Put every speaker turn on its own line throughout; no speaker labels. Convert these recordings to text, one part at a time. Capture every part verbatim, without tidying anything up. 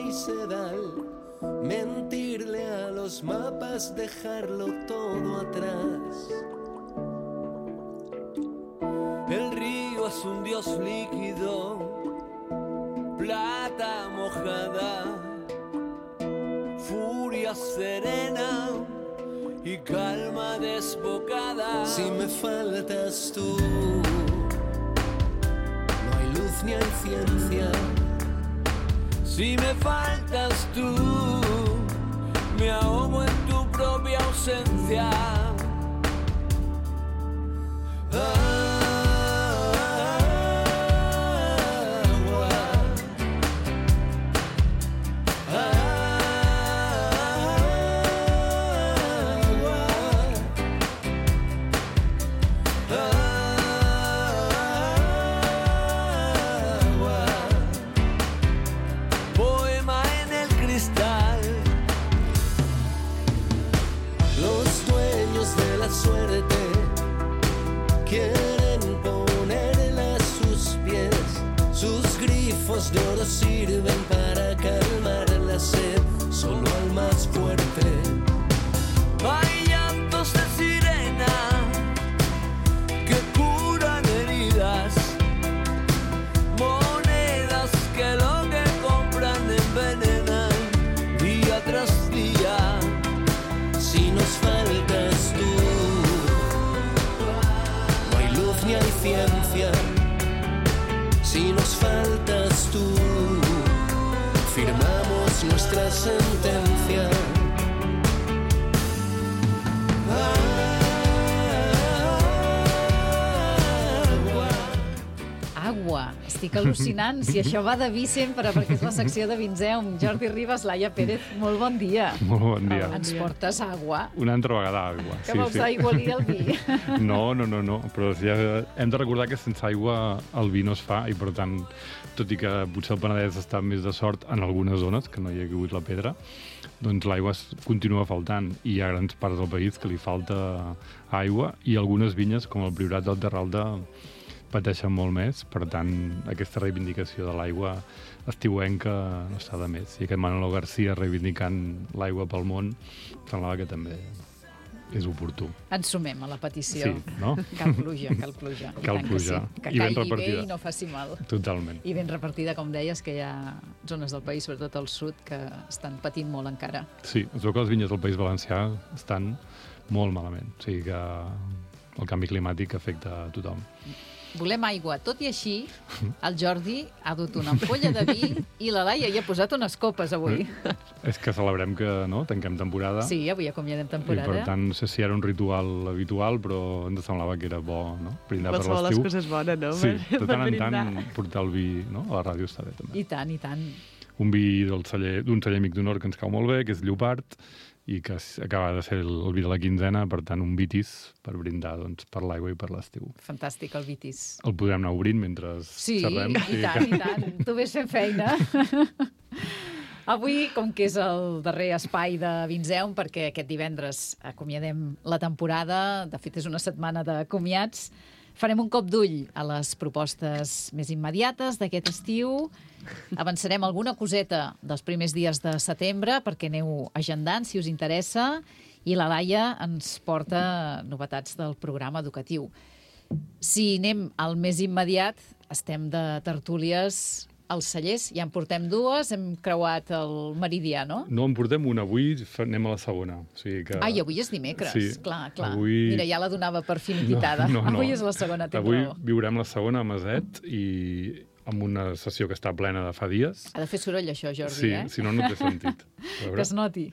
y sedal, mentirle a los mapas, dejarlo todo atrás. El río es un dios líquido, plata mojada, furia serena y calma desbocada. Si me faltas tú, no hay luz ni hay ciencia. Si me faltas tú, me ahogo en tu propia ausencia. De oro sirven para calmar la sed, solo al más fuerte. Hay llantos de sirena que curan heridas, monedas que lo que compran envenenan día tras día. Si nos faltas tú, no hay luz ni hay ciencia. Si nos faltas tú, firmamos nuestra sentencia.
Agua. Estic al·lucinant. Si això va de vi sempre, perquè és la secció de Vinzeum. Jordi Ribas, Laia Pérez, molt bon dia.
Molt bon dia.
Ens portes agua.
Una altra vegada aigua.
Que sí, vols sí. aigualir el vi?
No, no, no, no. Però ja hem de recordar que sense aigua el vi no es fa i, per tant, tot i que potser el Penedès està més de sort en algunes zones, que no hi ha hagut la pedra, doncs l'aigua continua faltant i hi ha grans parts del país que li falta aigua i algunes vinyes, com el Priorat del Terralda, pateixen molt més. Per tant, aquesta reivindicació de l'aigua estiuenca no està de més. I aquest Manolo García reivindicant l'aigua pel món semblava que també és oportú.
Ens sumem a la petició.
Sí, no?
Cal pluja, cal pluja.
Cal pluja.
Que, sí. que caigui bé i no faci mal.
Totalment.
I ben repartida, com deies, que hi ha zones del país, sobretot al sud, que estan patint molt encara.
Sí, es veu que les vinyes del País Valencià estan molt malament. O sigui que el canvi climàtic afecta a tothom.
Volem aigua. Tot i així, el Jordi ha dut una ampolla de vi i la Laia hi ha posat unes copes avui.
És que celebrem que no tanquem temporada.
Sí, avui acomiadem temporada.
I per tant, no sé si era un ritual habitual, però ens semblava que era bo, no? Brindar per l'estiu.
Qualsevol les coses bones, no?
Sí,
per,
de tant en
brindar.
tant portar el vi, no? A la ràdio està bé, també.
I tant, i tant.
Un vi del celler, d'un celler amic d'honor que ens cau molt bé, que és Llopart, i que acaba de ser el, el vi de la quinzena, per tant, un vitis per brindar doncs, per l'aigua i per l'estiu.
Fantàstic, el vitis.
El podrem anar obrint mentre
sí,
xerrem.
Sí, i tant, que... i tant. Tu ves fent feina. Avui, com que és el darrer espai de Vinzeum, perquè aquest divendres acomiadem la temporada, de fet és una setmana de comiats, farem un cop d'ull a les propostes més immediates d'aquest estiu. Avançarem alguna coseta dels primers dies de setembre perquè aneu agendant, si us interessa, i la Laia ens porta novetats del programa educatiu. Si anem al més immediat, estem de tertúlies als cellers. Ja en portem dues, hem creuat el meridià, no?
No, en portem una. Avui anem a la segona. O sigui que...
Ai, avui és dimecres.
Sí.
Clar, clar.
Avui...
Mira, ja la donava per finiquitada.
No, no, no.
Avui és la segona, tens
Avui
raó.
viurem la segona a Maset i amb una sessió que està plena de fa dies.
Ha de fer soroll, això, Jordi,
sí,
eh?
Si no, no té sentit.
Que es noti.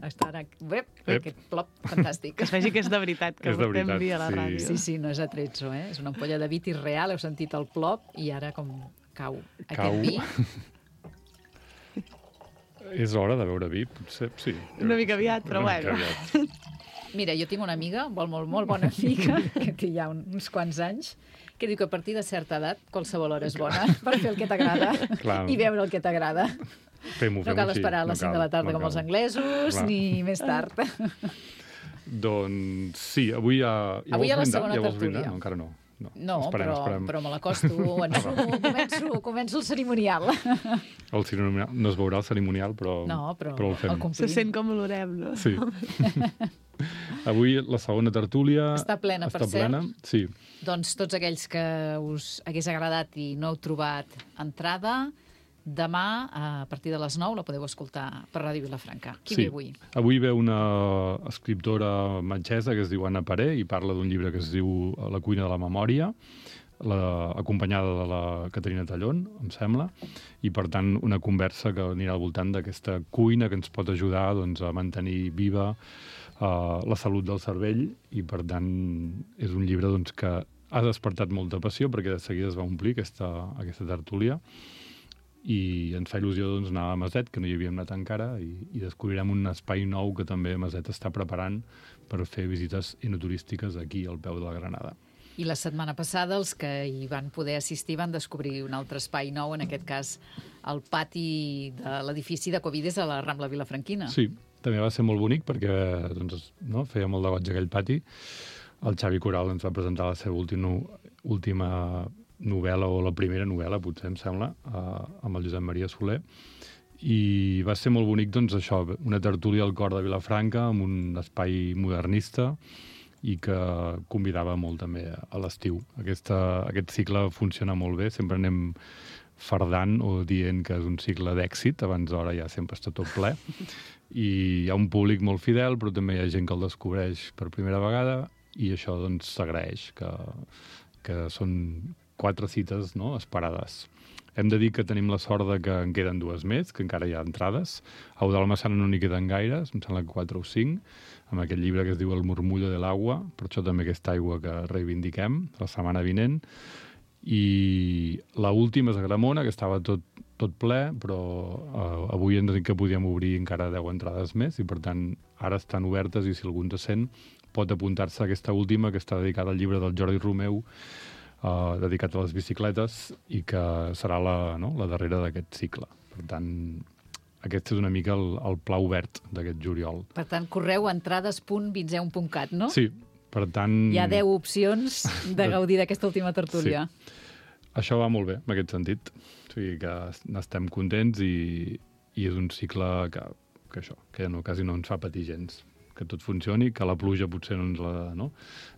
Està ara... Ep, aquest plop fantàstic.
Que es vegi que és de veritat, que
És de
portem
veritat,
vi a la
sí.
ràdio.
Sí, sí, no és atrezzo, eh? És una ampolla de vitis real, heu sentit el plop, i ara com cau aquest
Cau.
vi.
És hora de beure vi, potser, sí.
Una mica aviat, però
Una mica
bueno.
aviat.
Mira, jo tinc una amiga, molt, molt, molt bona amiga, que té ja uns quants anys, que diu que a partir de certa edat qualsevol hora és bona per fer el que t'agrada i veure el que t'agrada.
Fem-ho,
No
fem-ho
cal
així.
esperar a les cinc de la tarda
no
com els
cal.
anglesos,
Clar.
ni més tard.
Doncs sí, avui ja... ja
Avui hi ha la
vols brindar?
segona
Ja vols
tertúlia.
brindar? No, encara no. no.
No,
esperem,
però,
esperem.
però me l'acosto, ensumo, començo, començo el cerimonial.
El cerimonial. No es veurà el cerimonial, però,
No, però
però el fem.
el complim.
Se sent com l'orem, no?
Sí. Avui la segona tertúlia...
Està plena,
està
per cert.
plena. Sí.
Doncs tots aquells que us hagués agradat i no heu trobat entrada, demà, a partir de les nou, la podeu escoltar per Ràdio Vilafranca. Qui
sí.
ve avui?
Avui ve una escriptora metgessa que es diu Anna Paré i parla d'un llibre que es diu La cuina de la memòria, la, acompanyada de la Caterina Tallón, em sembla, i per tant una conversa que anirà al voltant d'aquesta cuina que ens pot ajudar doncs, a mantenir viva uh, la salut del cervell, i per tant és un llibre doncs, que ha despertat molta passió perquè de seguida es va omplir aquesta, aquesta tertúlia, i ens fa il·lusió doncs, anar a Maset, que no hi havíem anat encara, i, i descobrirem un espai nou que també Maset està preparant per fer visites enoturístiques aquí al peu de la Granada.
I la setmana passada els que hi van poder assistir van descobrir un altre espai nou, en aquest cas el pati de l'edifici de Covides a la Rambla Vilafranquina.
Sí, també va ser molt bonic perquè doncs, no, feia molt de goig aquell pati. El Xavi Coral ens va presentar la seva última, última novel·la, o la primera novel·la, potser em sembla, eh, amb el Josep Maria Soler, i va ser molt bonic, doncs, això, una tertúlia al cor de Vilafranca, amb un espai modernista, i que convidava molt també a l'estiu. Aquesta, aquest cicle funciona molt bé, sempre anem fardant o dient que és un cicle d'èxit, abans d'hora ja sempre està tot ple, i hi ha un públic molt fidel, però també hi ha gent que el descobreix per primera vegada, i això doncs s'agraeix, que, que són quatre cites, no?, esperades. Hem de dir que tenim la sort de que en queden dues més, que encara hi ha entrades. A Eudald Massana no n'hi queden gaires, em sembla que quatre o cinc, amb aquest llibre que es diu El murmullo de l'agua, per això també aquesta aigua que reivindiquem la setmana vinent. I l'última és a Gramona, que estava tot, tot ple, però eh, avui ens dit que podíem obrir encara deu entrades més, i per tant ara estan obertes, i si algú ens sent pot apuntar-se a aquesta última, que està dedicada al llibre del Jordi Romeu, Uh, dedicat a les bicicletes, i que serà la, no, la darrera d'aquest cicle. Per tant, aquest és una mica el, el pla obert d'aquest juliol.
Per tant, correu a entrades punt vinzeume punt cat, no?
Sí, per tant...
Hi ha deu opcions de gaudir d'aquesta última tertúlia.
Sí. Això va molt bé, en aquest sentit. O sigui que n'estem contents, i, i és un cicle que, que això, que no, quasi no ens fa patir gens. Que tot funcioni, que la pluja potser no ens la, no?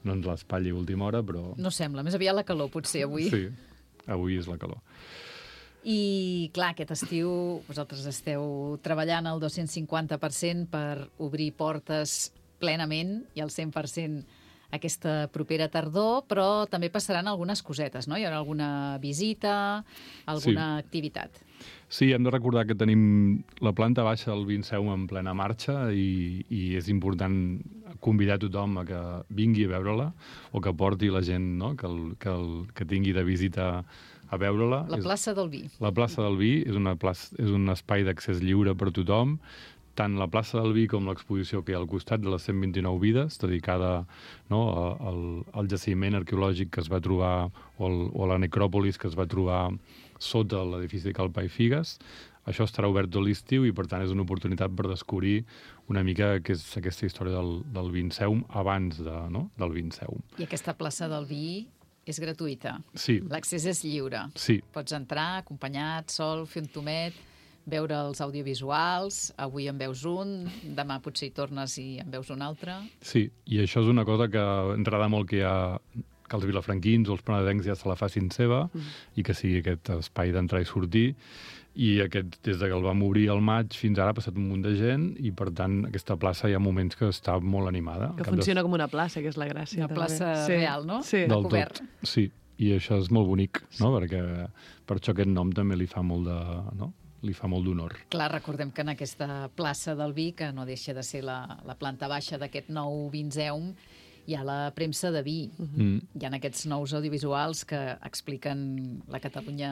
No ens l'espatlli a última hora, però...
No sembla, més aviat la calor, potser, avui.
Sí, avui és la calor.
I, clar, aquest estiu vosaltres esteu treballant al dos-cents cinquanta per cent per obrir portes plenament i al cent per cent aquesta propera tardor, però també passaran algunes cosetes, no? Hi haurà alguna visita, alguna sí. activitat.
Sí, hem de recordar que tenim la planta baixa del Vinceum en plena marxa, i, i és important convidar tothom a que vingui a veure-la, o que porti la gent, no?, que, el, que, el, que tingui de visita a veure-la.
La plaça del Vi.
La plaça del Vi és, una plaça, és un espai d'accés lliure per tothom, tant la plaça del Vi com l'exposició que hi ha al costat de les cent vint-i-nou vides, dedicada, no, al, al jaciment arqueològic que es va trobar, o, el, o la necròpolis que es va trobar sota l'edifici de Cal Pa i Figues. Això estarà obert tot l'estiu, i per tant és una oportunitat per descobrir una mica què és aquesta història del, del Vinceum abans de, no, del Vinceum.
I aquesta plaça del Vi és gratuïta.
Sí.
L'accés és lliure.
Sí.
Pots entrar acompanyat, sol, fer un tomet, veure els audiovisuals. Avui en veus un, demà potser hi tornes i en veus un altre.
Sí, i això és una cosa que ens agrada molt, que hi ha que els vilafranquins o els penedencs ja se la facin seva, mm. i que sigui aquest espai d'entrar i sortir. I aquest, des de que el vam obrir al maig fins ara ha passat un munt de gent, i per tant aquesta plaça hi ha moments que està molt animada.
Que funciona de... com una plaça, que és la gràcia.
Una plaça
sí.
real, no?
Sí.
Del tot, sí. I això és molt bonic, no? Perquè per això aquest nom també li fa molt de... No? li fa molt d'honor.
Clar, recordem que en aquesta plaça del Vi, que no deixa de ser la, la planta baixa d'aquest nou Vinceum, hi ha la premsa de vi. Mm. Hi ha aquests nous audiovisuals que expliquen la Catalunya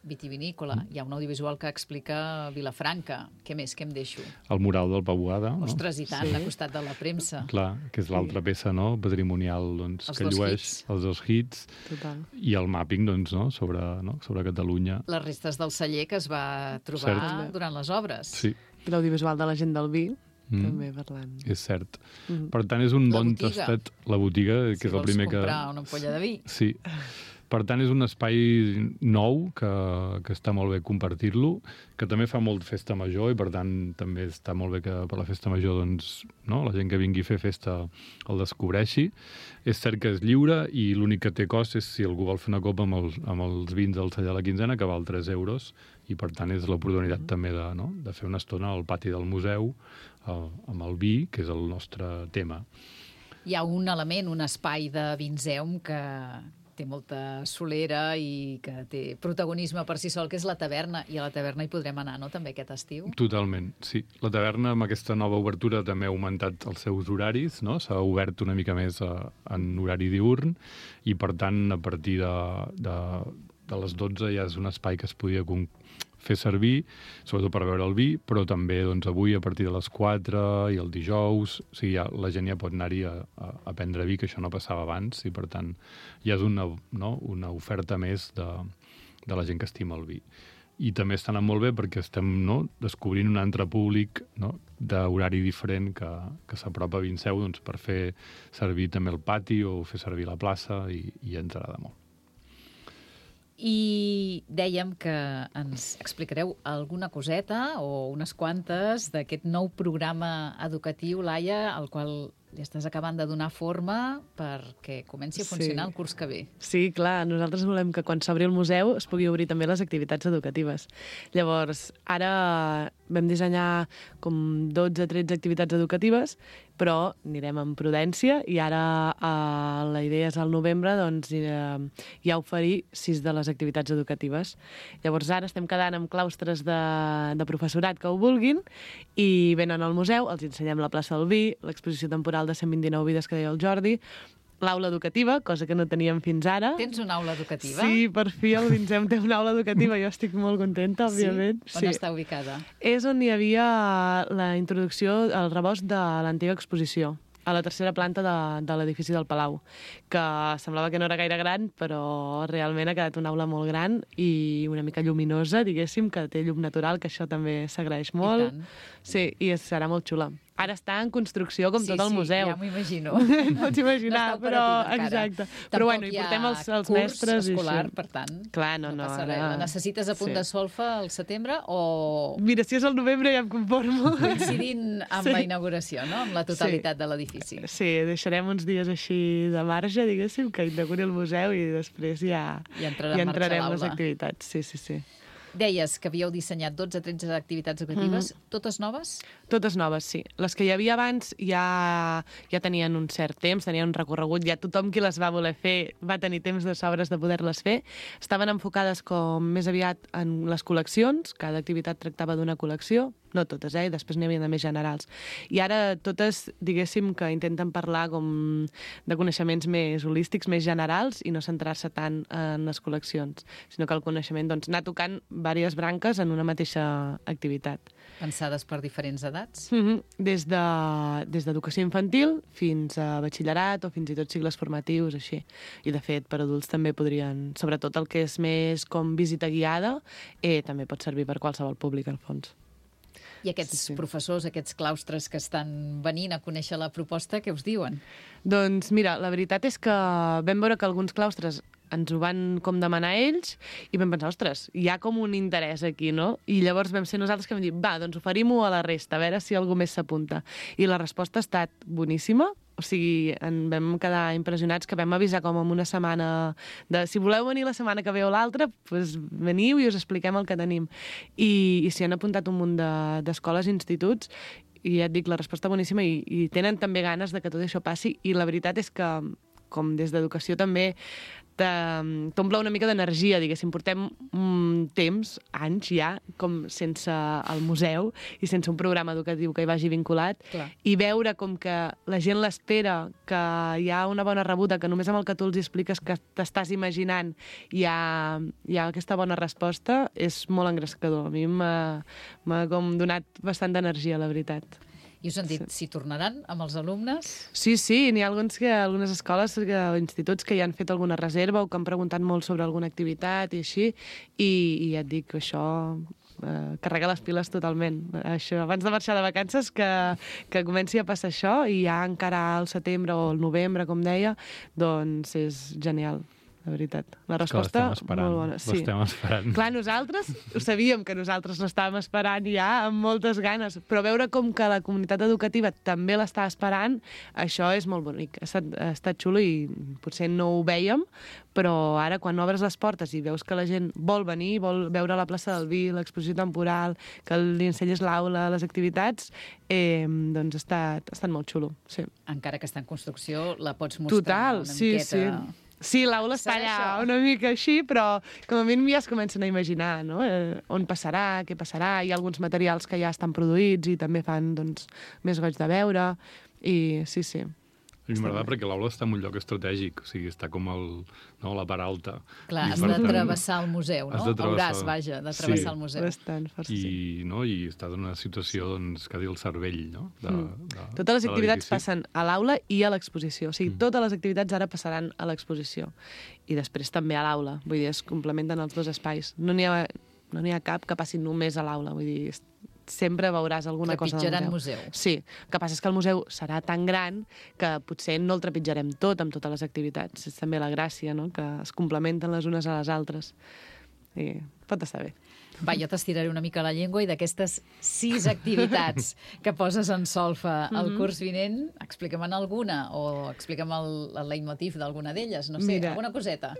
vitivinícola. Mm. Hi ha un audiovisual que explica Vilafranca. Què més? Què em deixo?
El mural del Pau Boada.
Ostres,
no?
i tant,
sí.
al costat de la premsa.
Clar, que és l'altra sí. peça, no?, patrimonial, doncs,
els
que llueix
hits.
els dos hits.
Total.
I el mapping, doncs, no?, sobre, no?, sobre Catalunya.
Les restes del celler que es va trobar
Cert.
durant les obres.
Sí.
I l'audiovisual de la gent del vi, mm. també parlant.
És cert.
Mm.
Per tant, és un
La
bon
botiga.
tastet. La botiga, que
Si
és el
vols
primer que...
comprar una ampolla de vi.
Sí. Per tant, és un espai nou que, que està molt bé compartir-lo, que també fa molt festa major i, per tant, també està molt bé que per la festa major doncs, no, la gent que vingui a fer festa el descobreixi. És cert que és lliure i l'únic que té cost és si algú vol fer una copa amb els, amb els vins del Celler de la Quinzena, que val tres euros, i, per tant, és l'oportunitat mm. també de, no, de fer una estona al pati del museu el, amb el vi, que és el nostre tema.
Hi ha un element, un espai de Vinzeum que té molta solera i que té protagonisme per si sol, que és la taverna, i a la taverna hi podrem anar, no?, també aquest estiu?
Totalment, sí. La taverna, amb aquesta nova obertura, també ha augmentat els seus horaris, no? S'ha obert una mica més a, en horari diürn, i, per tant, a partir de, de, de les dotze ja és un espai que es podia fer servir, sobretot per beure el vi, però també doncs, avui a partir de les quatre i el dijous, o sigui, ja, la gent ja pot anar-hi a, a, a prendre vi, que això no passava abans, i per tant ja és una, no, una oferta més de, de la gent que estima el vi. I també està anant molt bé perquè estem, no, descobrint un altre públic, no, d'horari diferent que, que s'apropa a Vinzeu, doncs, per fer servir també el pati o fer servir la plaça, i, i ens agrada molt.
I dèiem que ens explicareu alguna coseta o unes quantes d'aquest nou programa educatiu, Laia, al qual li estàs acabant de donar forma perquè comenci a funcionar sí. el curs que ve.
Sí, clar, nosaltres volem que quan s'obri el museu es pugui obrir també les activitats educatives. Llavors, ara vam dissenyar com dotze o tretze activitats educatives, però anirem amb prudència i ara eh, la idea és al novembre doncs, eh, ja oferir sis de les activitats educatives. Llavors ara estem quedant amb claustres de, de professorat que ho vulguin i venen al museu, els ensenyem la plaça del vi, l'exposició temporal de cent vint-i-nou vides que deia el Jordi, l'aula educativa, cosa que no teníem fins ara.
Tens una aula educativa?
Sí, per fi el Vinzem té una aula educativa. Jo estic molt contenta, òbviament.
Sí? On sí. està ubicada?
És on hi havia la introducció al rebost de l'antiga exposició, a la tercera planta de, de l'edifici del Palau, que semblava que no era gaire gran, però realment ha quedat una aula molt gran i una mica lluminosa, diguéssim, que té llum natural, que això també s'agraeix molt.
I tant.
Sí, i serà molt xula. Ara està en construcció com
sí,
tot el
sí,
museu.
Sí, ja m'ho imagino.
Pots imaginar,
no
però
encara.
exacte. Però bueno, hi portem els, els mestres.
Tampoc hi ha curs escolar,
i
per tant.
Clar, no,
no,
no.
Ara... La necessites a punt
sí.
de solfa al setembre o...
Mira, si és al novembre ja em conformo.
Coincidint amb
sí.
la inauguració, no?, amb la totalitat sí. de l'edifici.
Sí, deixarem uns dies així de marge, diguéssim, que inauguri el museu i després ja,
I entrarà
ja
en
entrarem
marxa
les activitats. Sí, sí, sí.
Deies que havíeu dissenyat dotze o tretze activitats educatives, mm-hmm. totes noves?
Totes noves, sí. Les que hi havia abans ja, ja tenien un cert temps, tenien un recorregut, ja tothom qui les va voler fer va tenir temps de sobres de poder-les fer. Estaven enfocades com més aviat en les col·leccions, cada activitat tractava d'una col·lecció, no totes, eh? Després n'hi havia de més generals. I ara totes, diguéssim, que intenten parlar com de coneixements més holístics, més generals, i no centrar-se tant en les col·leccions, sinó que el coneixement, doncs, anar tocant diverses branques en una mateixa activitat.
Pensades per diferents edats?
Mm-hmm. Des de, des d'educació infantil fins a batxillerat o fins i tot cicles formatius, així. I, de fet, per adults també podrien, sobretot el que és més com visita guiada, eh, també pot servir per qualsevol públic, al fons.
I aquests sí, sí. professors, aquests claustres que estan venint a conèixer la proposta, què us diuen?
Doncs mira, la veritat és que vam veure que alguns claustres ens ho van com demanar ells i vam pensar, ostres, hi ha com un interès aquí, no? I llavors vam ser nosaltres que vam dir, va, doncs oferim-ho a la resta, a veure si algú més s'apunta. I la resposta ha estat boníssima. O sigui, en vam quedar impressionats, que vam avisar com en una setmana de si voleu venir la setmana que ve o l'altra, doncs veniu i us expliquem el que tenim. I, i s'hi han apuntat un munt d'escoles i instituts i ja et dic, la resposta boníssima i, i tenen també ganes de que tot això passi i la veritat és que, com des d'educació també, t'omple una mica d'energia, diguéssim. Portem un temps, anys ja, com sense el museu i sense un programa educatiu que hi vagi vinculat.
Clar.
I veure com que la gent l'espera, que hi ha una bona rebuda, que només amb el que tu els expliques que t'estàs imaginant hi ha, hi ha aquesta bona resposta, és molt engrescador. A mi m'ha com donat bastant d'energia, la veritat.
I us han dit
Sí.
si tornaran amb els alumnes?
Sí, sí, n'hi ha alguns que, algunes escoles que, o instituts que ja han fet alguna reserva o que han preguntat molt sobre alguna activitat i així, i, i ja et dic que això eh, carregar les piles totalment. Això, abans de marxar de vacances, que, que comenci a passar això, i ja encara al setembre o al novembre, com deia, doncs és genial. La veritat. La resposta, molt bona. Sí.
L'estem esperant.
Clar, nosaltres ho sabíem que nosaltres l'estàvem esperant ja amb moltes ganes, però veure com que la comunitat educativa també l'està esperant, això és molt bonic. Ha estat, ha estat xulo i potser no ho vèiem, però ara quan obres les portes i veus que la gent vol venir, vol veure la plaça del Vi, l'exposició temporal, que li ensenyes l'aula, les activitats, eh, doncs ha estat, ha estat molt xulo. Sí.
Encara que està en construcció, la pots mostrar
Total,
una
sí,
miqueta...
sí. Sí, l'aula està allà una mica així, però com a mínim ja es comencen a imaginar, no? Eh, on passarà, què passarà, hi ha alguns materials que ja estan produïts i també fan, doncs, més goig de veure, i sí, sí.
A mi m'agrada perquè l'aula està en un lloc estratègic, o sigui, està com el, no, la part alta.
Clar,
I
has
per
de
tant,
travessar el museu, no?
has de travessar-
Hauràs, vaja, de travessar
Sí.
el museu.
Bastant, força,
I,
sí.
no, i està en una situació, doncs, que dir el cervell, no? De,
Mm.
de,
Totes les
de
activitats
l'edifici.
passen a l'aula i a l'exposició. O sigui,
Mm.
totes les activitats ara passaran a l'exposició. I després també a l'aula. Vull dir, es complementen els dos espais. No n'hi ha, no n'hi ha cap que passi només a l'aula. Vull dir, es- sempre veuràs alguna cosa del
Trepitjaran
museu.
museu.
Sí, el que passa és que el museu serà tan gran que potser no el trepitjarem tot amb totes les activitats. És també la gràcia, no?, que es complementen les unes a les altres. I pot estar bé.
Va, jo t'estiraré una mica la llengua i d'aquestes sis activitats que poses en solfa al
Mhm.
curs vinent, explica'm-en alguna o explica'm el, el leitmotiv d'alguna d'elles, no sé,
Mira,
alguna coseta.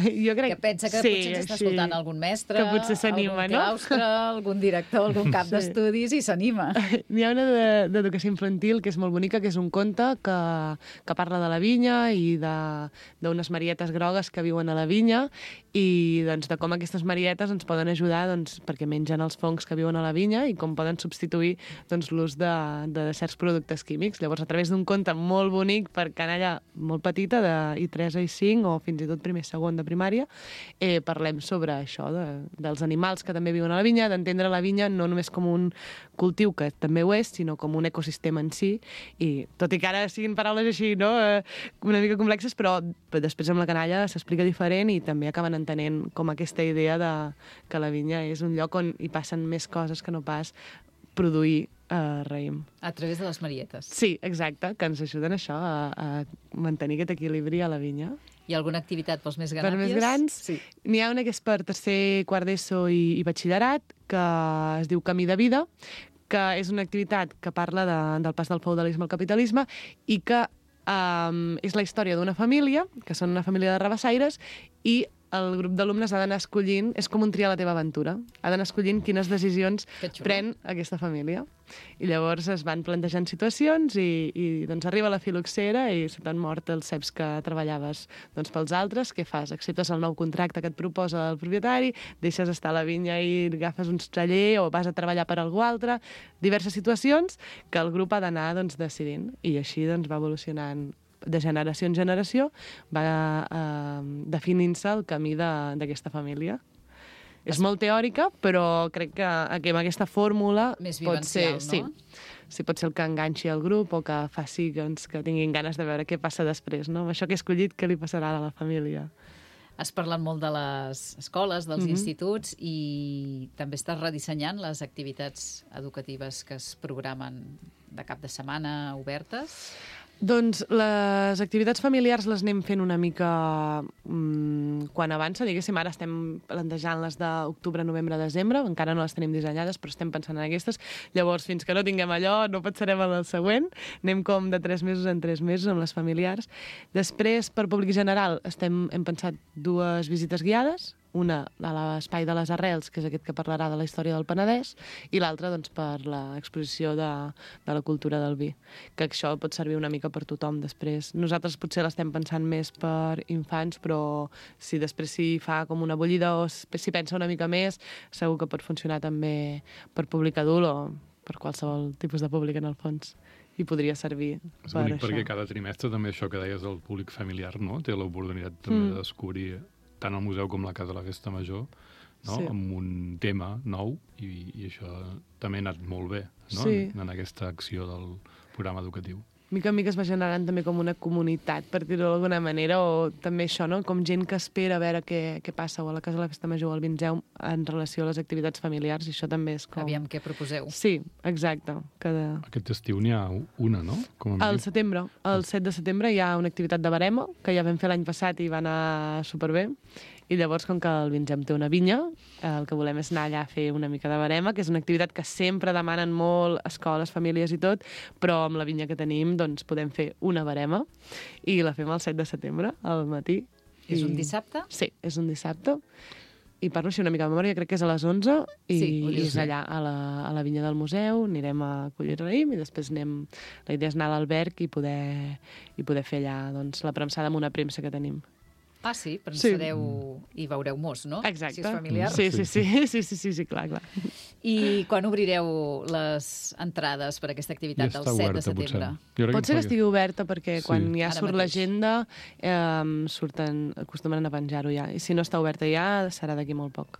Jo crec
Que pensa que
sí,
potser ens està
així,
escoltant algun mestre,
que potser s'anima,
algun
no?
claustre, algun director, algun cap
Sí.
d'estudis i s'anima.
N'hi ha una de- d'educació infantil que és molt bonica, que és un conte que, que parla de la vinya i de- d'unes marietes grogues que viuen a la vinya i doncs, de com aquestes marietes ens poden ajudar doncs, perquè mengen els fongs que viuen a la vinya i com poden substituir doncs, l'ús de, de certs productes químics. Llavors, a través d'un conte molt bonic per canalla molt petita, de I tres a I cinc o fins i tot primer i segon de primària, eh, parlem sobre això, de, dels animals que també viuen a la vinya, d'entendre la vinya no només com un cultiu, que també ho és, sinó com un ecosistema en si, i tot i que ara siguin paraules així, no?, eh, una mica complexes, però després amb la canalla s'explica diferent i també acaben entenent com aquesta idea de que la vinya és un lloc on hi passen més coses que no pas produir eh, raïm.
A través de les marietes.
Sí, exacte, que ens ajuden a això, a, a mantenir aquest equilibri a la vinya.
Hi ha alguna activitat pels més
Per
grans?
més grans,
Sí.
n'hi ha una que és per tercer, quart d'ESO i, i batxillerat, que es diu Camí de vida, que és una activitat que parla de, del pas del feudalisme al capitalisme i que um, és la història d'una família, que són una família de rabassaires, i el grup d'alumnes ha d'anar escollint, és com un triar la teva aventura, ha d'anar escollint quines decisions
Que xulo.
pren aquesta família. I llavors es van plantejant situacions i, i doncs arriba la filoxera i se t'han mort els ceps que treballaves doncs, pels altres. Què fas? Acceptes el nou contracte que et proposa el propietari, deixes estar a la vinya i agafes un celler o vas a treballar per algú altre. Diverses situacions que el grup ha d'anar doncs, decidint. I així doncs, va evolucionant de generació en generació, va eh, definint-se el camí de- d'aquesta família. És molt teòrica, però crec que, que amb aquesta fórmula
Més
pot ser,
vivencial, no?
sí, sí, pot ser el que enganxi el grup o que faci doncs, que tinguin ganes de veure què passa després, no? Amb això que he escollit, què li passarà a la família?
Has parlat molt de les escoles, dels
Mhm.
instituts i també estàs redissenyant les activitats educatives que es programen de cap de setmana obertes.
Doncs les activitats familiars les anem fent una mica mmm, quan avança, diguéssim, ara estem plantejant-les d'octubre, novembre, desembre, encara no les tenim dissenyades, però estem pensant en aquestes. Llavors, fins que no tinguem allò, no pensarem en el següent. Anem com de tres mesos en tres mesos amb les familiars. Després, per públic general, estem, hem pensat dues visites guiades, una a l'Espai de les Arrels, que és aquest que parlarà de la història del Penedès, i l'altra doncs, per l'exposició de, de la cultura del vi, que això pot servir una mica per tothom després. Nosaltres potser l'estem pensant més per infants, però si després s'hi fa com una bullida o s'hi pensa una mica més, segur que pot funcionar també per públic adult o per qualsevol tipus de públic en el fons. I podria servir
És
per
bonic
això.
perquè cada trimestre també això que deies del públic familiar, no? Té l'oportunitat també
Mm.
de descobrir tant el museu com la Casa de la Festa Major, no?
Sí.
Amb un tema nou i, i això també ha anat molt bé, no?
Sí.
En, en aquesta acció del programa educatiu.
mica en mica es va generant també com una comunitat, per dir-ho d'alguna manera, o també això, no? Com gent que espera a veure què, què passa, o a la Casa de la Festa Major o al Vinzeu en relació a les activitats familiars, i això també és com...
Aviam què proposeu.
Sí, exacte. Cada...
Aquest estiu n'hi ha una, no? Com a
Al
mínim.
setembre, el set de setembre hi ha una activitat de barema, que ja vam fer l'any passat i va anar superbé, i llavors, com que el Vinzem té una vinya, el que volem és anar allà a fer una mica de barema, que és una activitat que sempre demanen molt escoles, famílies i tot, però amb la vinya que tenim doncs podem fer una barema, i la fem el set de setembre, al matí.
És
I...
un dissabte?
Sí, és un dissabte. I parlo així una mica de memòria, crec que és a les onze, i,
Sí, ho
i
dius
és
bé.
allà a la, a la vinya del museu, anirem a collir raïm i després anem... La idea és anar a l'alberg i poder, i poder fer allà doncs, la premsada amb una premsa que tenim.
Ah, sí? Pensareu i veureu mos, no?
Exacte.
Si és familiar.
Sí, sí, sí, sí, sí, sí, sí, clar, clar.
I quan obrireu les entrades per a aquesta activitat del set de setembre?
Pot ser que estigui oberta perquè
Sí.
quan ja
Ara
surt
mateix.
l'agenda eh, surten, acostumen a penjar-ho ja. I si no està oberta ja, serà d'aquí molt poc.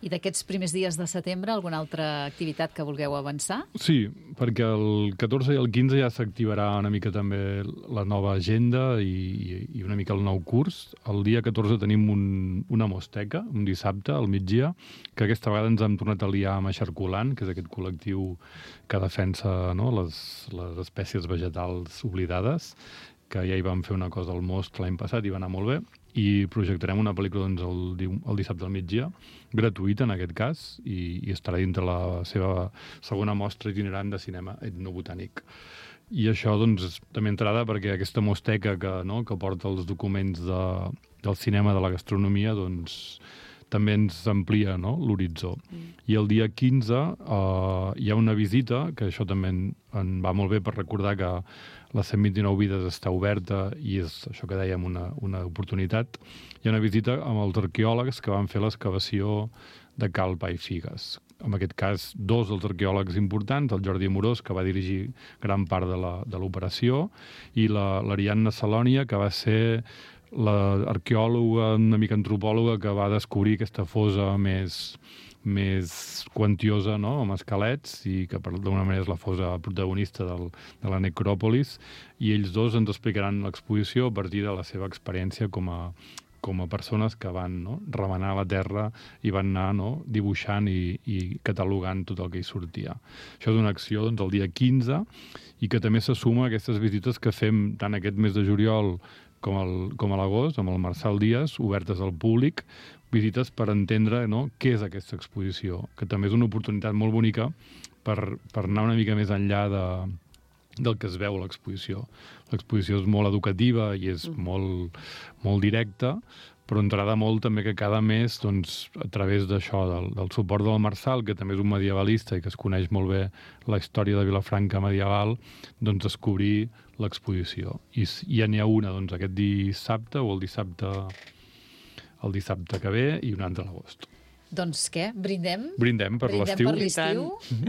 I d'aquests primers dies de setembre, alguna altra activitat que vulgueu avançar?
Sí, perquè el catorze i el quinze ja s'activarà una mica també la nova agenda i, i una mica el nou curs. El dia catorze tenim un, una mosteca, un dissabte, al migdia, que aquesta vegada ens hem tornat a liar amb Eixarculant, que és aquest col·lectiu que defensa, no, les, les espècies vegetals oblidades, que ja hi vam fer una cosa al Most l'any passat i va anar molt bé, i projectarem una pel·lícula doncs, el, diu- el dissabte al migdia, gratuïta en aquest cas, i, i estarà dintre la seva segona mostra itinerant de cinema etnobotànic. I això doncs, és també entrada perquè aquesta mosteca que, no, que porta els documents de, del cinema, de la gastronomia, doncs, també ens amplia, no, l'horitzó. Mm. I el dia quinze eh, hi ha una visita, que això també en, en va molt bé per recordar que la cent vint-i-nou Vides està oberta i és això que dèiem una, una oportunitat. Hi ha una visita amb els arqueòlegs que van fer l'excavació de Cal Pa i Figues. En aquest cas, dos dels arqueòlegs importants, el Jordi Amorós, que va dirigir gran part de la- de l'operació, i la- l'Ariadna Salònia, que va ser l'arqueòloga, una mica antropòloga, que va descobrir aquesta fosa més, més quantiosa, no?, amb esquelets, i que per- d'alguna manera és la fosa protagonista del, de la necròpolis, i ells dos ens explicaran l'exposició a partir de la seva experiència com a, com a persones que van, no?, remenar la terra i van anar, no?, dibuixant i, i catalogant tot el que hi sortia. Això és una acció doncs, el dia quinze, i que també se suma a aquestes visites que fem tant aquest mes de juliol com, el, com a l'agost, amb el Marçal Díaz, obertes al públic, visites per entendre, no?, què és aquesta exposició, que també és una oportunitat molt bonica per, per anar una mica més enllà de, del que es veu a l'exposició. L'exposició és molt educativa i és mm. molt, molt directa, però ens agrada molt també que cada mes, doncs, a través d'això, del, del suport del Marçal, que també és un medievalista i que es coneix molt bé la història de Vilafranca medieval, doncs descobrir l'exposició. I s- ja n'hi ha una doncs, aquest dissabte o el dissabte, el dissabte que ve i una altra a l'agost.
Doncs què? Brindem?
Brindem per
Brindem
l'estiu.
per l'estiu,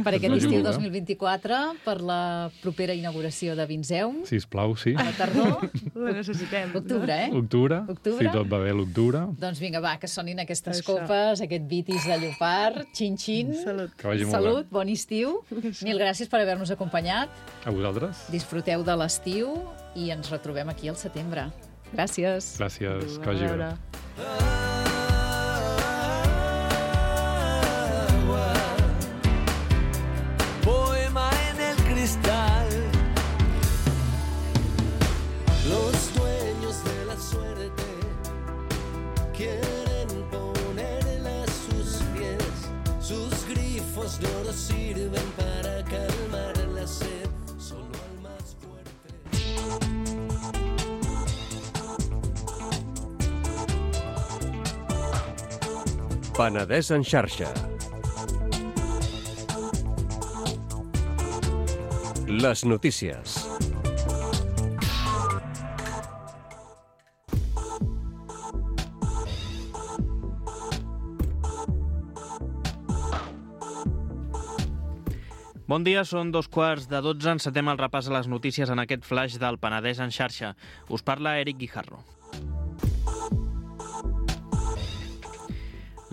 per aquest
Per
estiu
l'estiu,
dos mil vint-i-quatre, per la propera inauguració de Vinzeum,
Sisplau, sí.
a la tardor,
La necessitem.
octubre, eh?
Octubre,
Octubre?
si tot va bé l'octubre.
Doncs vinga, va, que sonin aquestes
Això.
copes, aquest vitis de llopart, xin-xin.
Salut.
Que vagi molt
Salut, bon estiu. Mil gràcies per haver-nos acompanyat.
bé. A vosaltres.
Disfruteu de l'estiu i ens retrobem aquí al setembre. Gràcies.
Gràcies, que
A
vagi bé.
veure.
Poema en el cristal. Los dueños de la suerte quieren ponerle a sus pies. Sus grifos de oro sirven para calmar la sed. Solo al más fuerte.
Penedès en xarxa. Les notícies.
Bon dia, són dos quarts de dotze. Encetem el repàs a les notícies en aquest flash del Penedès en xarxa. Us parla Eric Guijarro.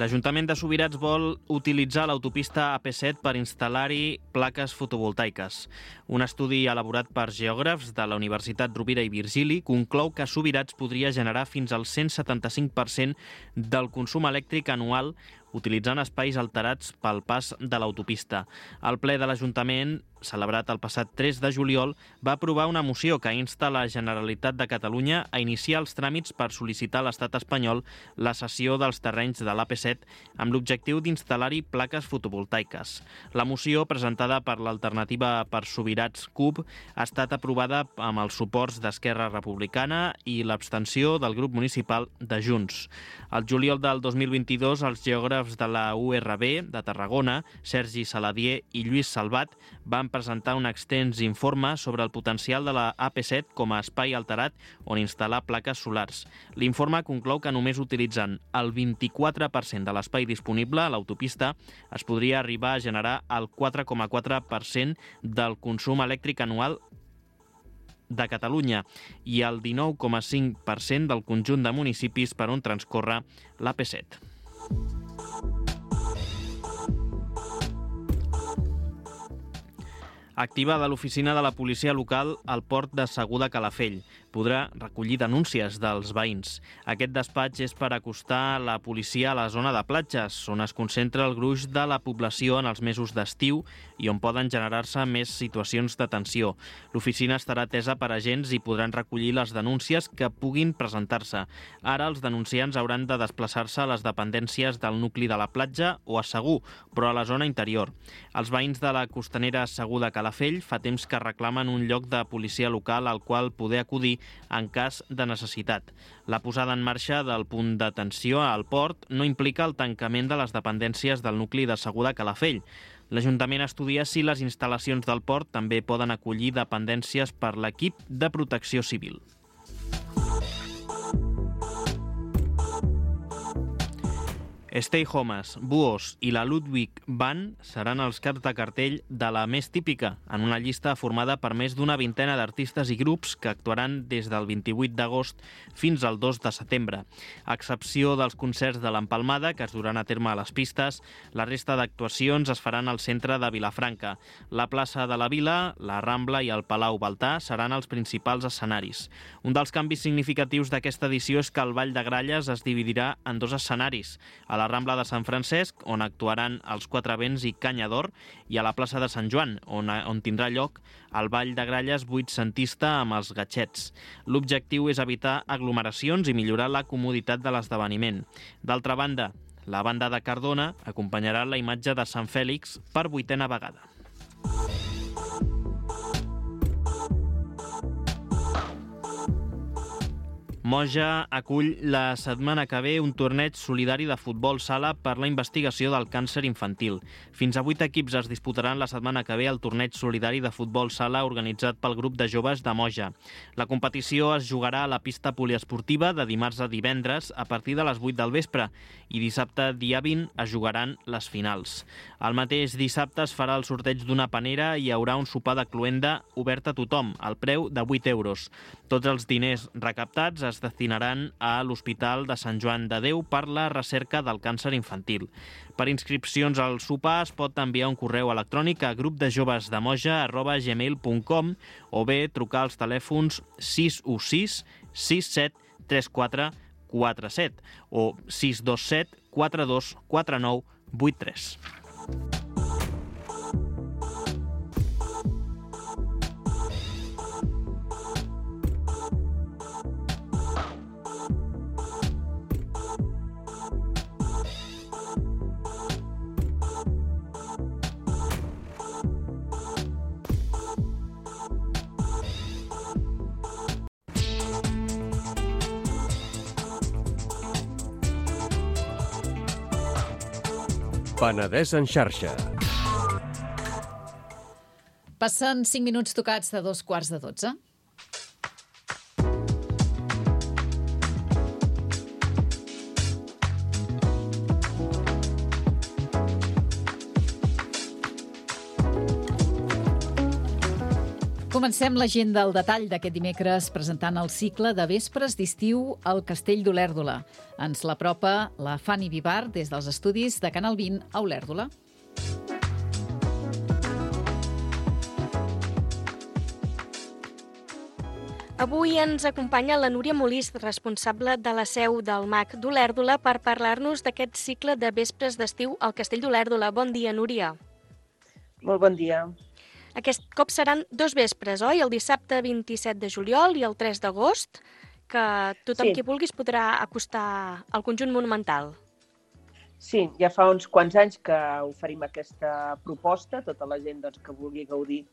L'Ajuntament de Subirats vol utilitzar l'autopista A P set per instal·lar-hi plaques fotovoltaiques. Un estudi elaborat per geògrafs de la Universitat Rovira i Virgili conclou que Subirats podria generar fins al cent setanta-cinc per cent del consum elèctric anual utilitzant espais alterats pel pas de l'autopista. El ple de l'Ajuntament, celebrat el passat tres de juliol, va aprovar una moció que insta la Generalitat de Catalunya a iniciar els tràmits per sol·licitar a l'Estat espanyol la cessió dels terrenys de l'A P set amb l'objectiu d'instal·lar-hi plaques fotovoltaiques. La moció, presentada per l'Alternativa per Subirats C U P, ha estat aprovada amb els suports d'Esquerra Republicana i l'abstenció del grup municipal de Junts. Al juliol del dos mil vint-i-dos, els geògrafs de la U R B de Tarragona, Sergi Saladier i Lluís Salvat, van presentar un extens informe sobre el potencial de la A P set com a espai alterat on instal·lar plaques solars. L'informe conclou que només utilitzant el vint-i-quatre per cent de l'espai disponible a l'autopista es podria arribar a generar el quatre coma quatre per cent del consum elèctric anual de Catalunya i el dinou coma cinc per cent del conjunt de municipis per on transcorre l'A P set. Activada l'oficina de la policia local al port de Segur de Calafell. Podrà recollir denúncies dels veïns. Aquest despatx és per acostar la policia a la zona de platges, on es concentra el gruix de la població en els mesos d'estiu i on poden generar-se més situacions de tensió. L'oficina estarà atesa per agents i podran recollir les denúncies que puguin presentar-se. Ara els denunciants hauran de desplaçar-se a les dependències del nucli de la platja o a Segur, però a la zona interior. Els veïns de la costanera Segur de Calafell fa temps que reclamen un lloc de policia local al qual poder acudir en cas de necessitat. La posada en marxa del punt d'atenció al port no implica el tancament de les dependències del nucli de Segur de Calafell. L'Ajuntament estudia si les instal·lacions del port també poden acollir dependències per l'equip de protecció civil. Stay Homes, Buos i la Ludwig Band seran els caps de cartell de la més típica, en una llista formada per més d'una vintena d'artistes i grups que actuaran des del vint-i-vuit d'agost fins al dos de setembre. A excepció dels concerts de l'Empalmada, que es duran a terme a les pistes, la resta d'actuacions es faran al centre de Vilafranca. La plaça de la Vila, la Rambla i el Palau Baltà seran els principals escenaris. Un dels canvis significatius d'aquesta edició és que el Ball de Gralles es dividirà en dos escenaris, a la Rambla de Sant Francesc, on actuaran els Quatre Vents i Canya d'Or, i a la plaça de Sant Joan, on, on tindrà lloc el Ball de Gralles vuitcentista amb els gatxets. L'objectiu és evitar aglomeracions i millorar la comoditat de l'esdeveniment. D'altra banda, la banda de Cardona acompanyarà la imatge de Sant Fèlix per vuitena vegada. Moja acull la setmana que ve un torneig solidari de futbol sala per la investigació del càncer infantil. Fins a vuit equips es disputaran la setmana que ve el torneig solidari de futbol sala organitzat pel grup de joves de Moja. La competició es jugarà a la pista poliesportiva de dimarts a divendres a partir de les vuit del vespre i dissabte, dia vint, es jugaran les finals. El mateix dissabte es farà el sorteig d'una panera i hi haurà un sopar de cloenda obert a tothom, al preu de vuit euros. Tots els diners recaptats es destinaran a l'Hospital de Sant Joan de Déu per la recerca del càncer infantil. Per inscripcions al sopar es pot enviar un correu electrònic a grupdejovesdemoja arroba gmail punt com o bé trucar als telèfons sis u sis sis set tres quatre quatre set o sis dos set quatre dos quatre nou vuit tres.
Penedès en xarxa.
Passen cinc minuts tocats de dos quarts de dotze. Comencem l'agenda al detall d'aquest dimecres presentant el cicle de vespres d'estiu al Castell d'Olèrdola. Ens l'apropa la Fanny Vivar des dels estudis de Canal vint a Olèrdola.
Avui ens acompanya la Núria Molís, responsable de la seu del M A C d'Olèrdola, per parlar-nos d'aquest cicle de vespres d'estiu al Castell d'Olèrdola. Bon dia, Núria.
Molt bon dia.
Aquest cop seran dos vespres, oi? El dissabte vint-i-set de juliol i el tres d'agost, que tothom
Sí.
qui vulgui es podrà acostar al conjunt monumental.
Sí, ja fa uns quants anys que oferim aquesta proposta, tota la gent doncs, que vulgui gaudir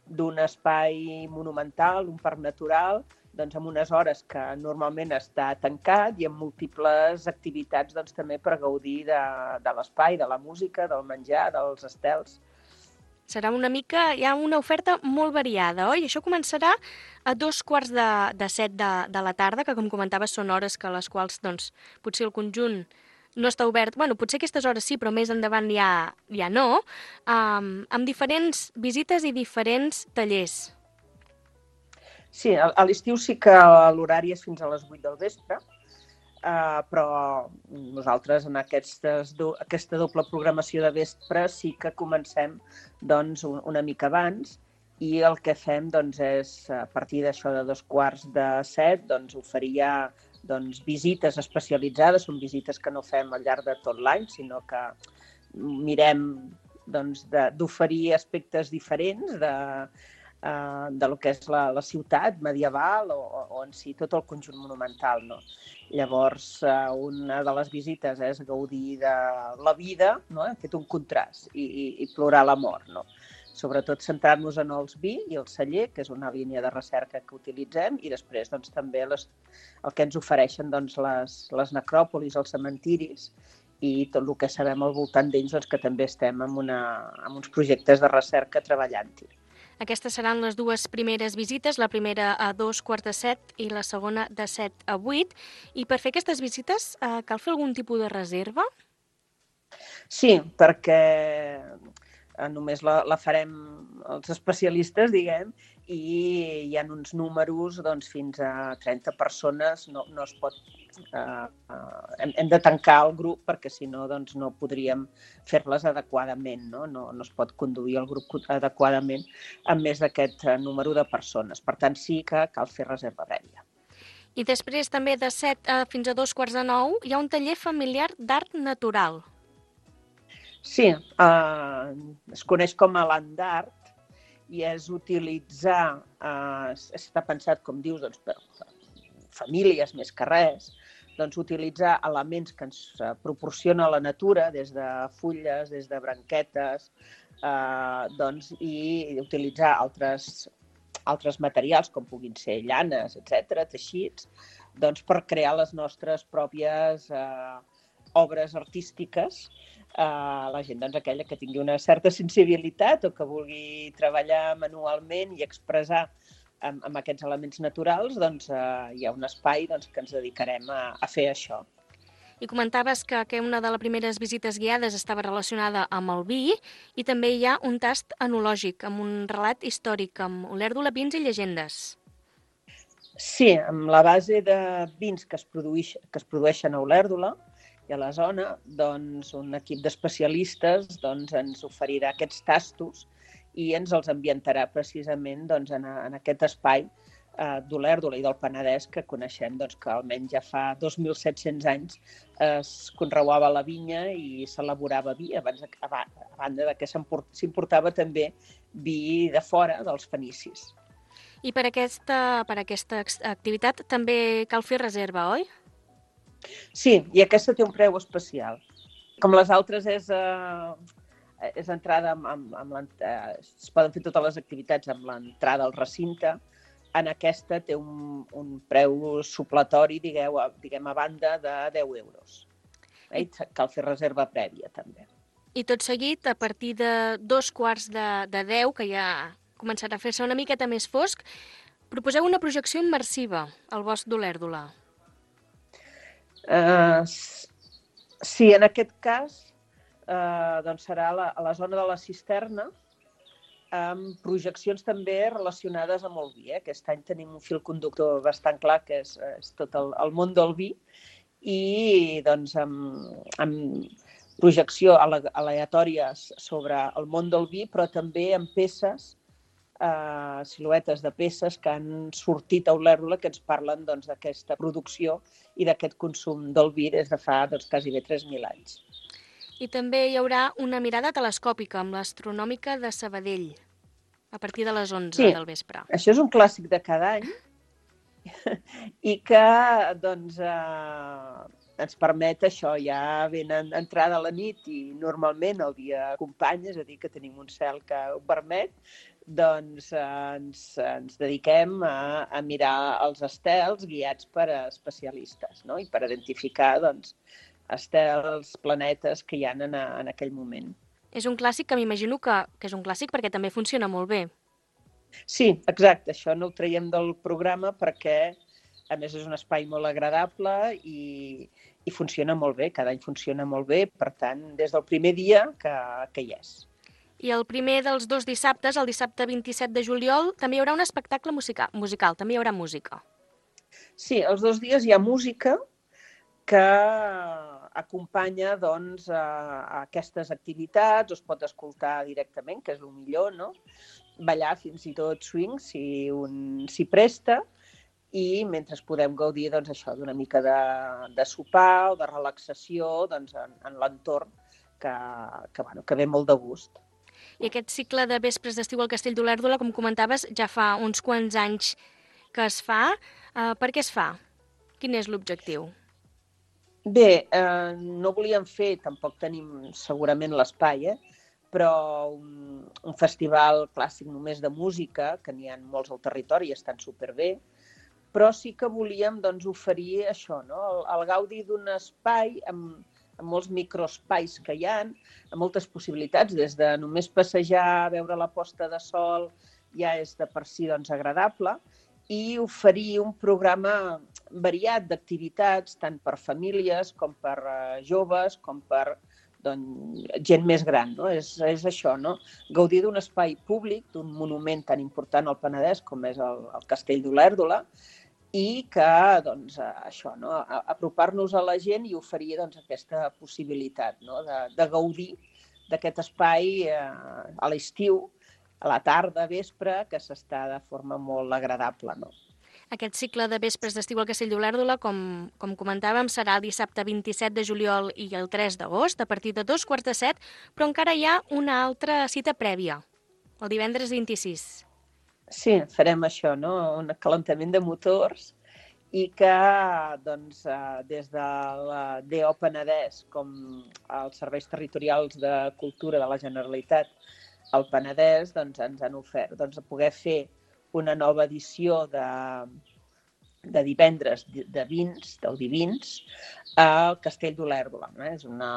d'un espai monumental, un parc natural, doncs amb unes hores que normalment està tancat i amb múltiples activitats doncs, també per gaudir de, de l'espai, de la música, del menjar, dels estels.
Serà una mica, hi ha una oferta molt variada, oi? Això començarà a dos quarts de, de set de, de la tarda, que com comentaves són hores que a les quals doncs, potser el conjunt no està obert. Bueno, potser aquestes hores sí, però més endavant ja, ja no. Um, amb diferents visites i diferents tallers.
Sí, a, a l'estiu sí que l'horari és fins a les vuit del vespre, uh, però nosaltres en aquestes do, aquesta doble programació de vespre sí que comencem doncs, un, una mica abans i el que fem doncs, és, a partir d'això de dos quarts de set, doncs, oferir ja doncs, visites especialitzades. Són visites que no fem al llarg de tot l'any, sinó que mirem doncs, d'oferir aspectes diferents de, uh, de lo que és la, la ciutat medieval o, o en si tot el conjunt monumental. No? Llavors, uh, una de les visites és gaudir de la vida, no? Hem fet un contrast i, i, i plorar la mort. No? Sobretot centrar-nos en els vi i el celler, que és una línia de recerca que utilitzem, i després doncs, també les, el que ens ofereixen doncs, les, les necròpolis, els cementiris i tot el que sabem al voltant d'ells, doncs, que també estem en, una, en uns projectes de recerca treballant-hi.
Aquestes seran les dues primeres visites, la primera a dos quarts de set i la segona de set a vuit. I per fer aquestes visites eh, cal fer algun tipus de reserva?
Sí, perquè només la, la farem els especialistes, diguem, i hi ha uns números doncs, fins a trenta persones, no, no es pot... Eh, eh, hem, hem de tancar el grup perquè si no doncs, no podríem fer-les adequadament, no? No, no es pot conduir el grup adequadament amb més d'aquest número de persones. Per tant, sí que cal fer reserva prèvia.
I després també de set a, fins a dos quarts de nou hi ha un taller familiar d'art natural.
Sí, eh, es coneix com a land art i és utilitzar, eh, està pensat, com dius, doncs, per famílies més que res, doncs, utilitzar elements que ens proporciona la natura, des de fulles, des de branquetes, eh, doncs, i utilitzar altres, altres materials, com puguin ser llanes, etcètera, teixits, doncs, per crear les nostres pròpies eh, obres artístiques. Uh, la gent doncs, aquella que tingui una certa sensibilitat o que vulgui treballar manualment i expressar amb, amb aquests elements naturals, doncs uh, hi ha un espai doncs, que ens dedicarem a, a fer això.
I comentaves que, que una de les primeres visites guiades estava relacionada amb el vi i també hi ha un tast enològic, amb un relat històric, amb Olèrdola, vins i llegendes.
Sí, amb la base de vins que es, produïx, que es produeixen a Olèrdola i a la zona, doncs, un equip d'especialistes doncs, ens oferirà aquests tastos i ens els ambientarà precisament doncs, en, a, en aquest espai eh, d'Olèrdola i del Penedès que coneixem doncs, que almenys ja fa dos mil set-cents anys es conreuava la vinya i s'elaborava vi, abans, a, a banda de que s'importava també vi de fora dels fenicis.
I per aquesta, per aquesta activitat també cal fer reserva, oi?
Sí, i aquesta té un preu especial. Com les altres és, eh, és entrada amb, amb, amb eh, es poden fer totes les activitats amb l'entrada al recinte. En aquesta té un, un preu supletori, digueu, diguem, a banda de deu euros. Eh? Cal fer reserva prèvia, també.
I tot seguit, a partir de dos quarts de, de deu, que ja començarà a fer-se una miqueta més fosc, proposeu una projecció immersiva al bosc d'Olèrdola.
Uh, sí, en aquest cas uh, doncs serà a la, a la zona de la cisterna amb projeccions també relacionades amb el vi. Eh? Aquest any tenim un fil conductor bastant clar, que és, és tot el, el món del vi, i doncs amb, amb projecció aleatòries sobre el món del vi, però també amb peces, eh, siluetes de peces que han sortit a Olèrdola, que ens parlen doncs, d'aquesta producció i d'aquest consum del vi des de fa doncs, quasi bé tres mil anys.
I també hi haurà una mirada telescòpica amb l'Astronòmica de Sabadell, a partir de les onze
Sí,
del vespre.
Això és un clàssic de cada any i que doncs, eh, ens permet això, ja ben entrada la nit i normalment el dia acompanya, és a dir, que tenim un cel que ho permet, doncs eh, ens, ens dediquem a, a mirar els estels guiats per especialistes, no? I per identificar doncs, estels, planetes que hi ha en, en aquell moment.
És un clàssic que m'imagino que, que és un clàssic perquè també funciona molt bé.
Sí, exacte. Això no ho traiem del programa perquè, a més, és un espai molt agradable i, i funciona molt bé. Cada any funciona molt bé, per tant, des del primer dia que, que hi és.
I el primer dels dos dissabtes, el dissabte vint-i-set de juliol, també hi haurà un espectacle musical, musical també hi haurà música.
Sí, els dos dies hi ha música que acompanya doncs, a, a aquestes activitats, es pot escoltar directament, que és el millor, no? Ballar fins i tot swing, si un s'hi presta, i mentre podem gaudir doncs, això d'una mica de, de sopar o de relaxació doncs, en, en l'entorn que, que, bueno, que ve molt de gust.
I aquest cicle de vespres d'estiu al Castell d'Olèrdola, com comentaves, ja fa uns quants anys que es fa. Uh, per què es fa? Quin és l'objectiu?
Bé, eh, no volíem fer, tampoc tenim segurament l'espai, eh? però un, un festival clàssic només de música, que n'hi ha molts al territori i estan superbé, però sí que volíem doncs, oferir això, no? el, el gaudi d'un espai amb, amb molts microespais que hi ha, amb moltes possibilitats, des de només passejar, veure la posta de sol, ja és de per si doncs, agradable, i oferir un programa variat d'activitats, tant per famílies com per uh, joves, com per doncs, gent més gran. No? És, és això, no? Gaudir d'un espai públic, d'un monument tan important al Penedès com és el, el Castell d'Olèrdola, i que, doncs, això, no? apropar-nos a la gent i oferir doncs, aquesta possibilitat, no? de, de gaudir d'aquest espai eh, a l'estiu, a la tarda, vespre, que s'està de forma molt agradable. No?
Aquest cicle de vespres d'estiu al Castell d'Olèrdola, com, com comentàvem, serà el dissabte vint-i-set de juliol i el tres d'agost, a partir de dos quarts de set, però encara hi ha una altra cita prèvia, el divendres vint-i-sis.
Sí, farem això, no? Un calentament de motors i que doncs, des de la D O Penedès com els serveis territorials de cultura de la Generalitat al Penedès doncs, ens han ofert doncs, poder fer una nova edició de, de divendres de vins, del Divins, al Castell d'Olèrdola. No? És una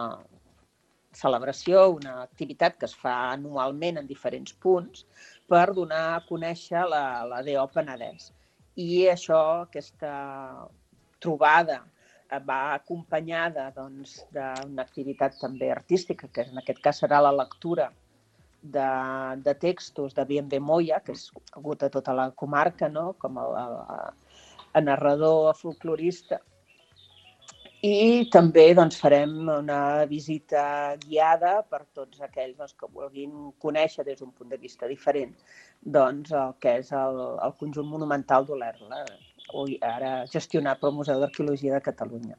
celebració, una activitat que es fa anualment en diferents punts per donar a conèixer la, la D O Penedès. I això, aquesta trobada, va acompanyada doncs, d'una activitat també artística, que en aquest cas serà la lectura de, de textos de Bien Moya, que és conegut a tota la comarca, no? com a, a, a narrador, a folclorista. I també doncs, farem una visita guiada per tots aquells doncs, que vulguin conèixer des d'un punt de vista diferent doncs, el que és el, el conjunt monumental d'Olèrdola, ara gestionat pel Museu d'Arqueologia de Catalunya.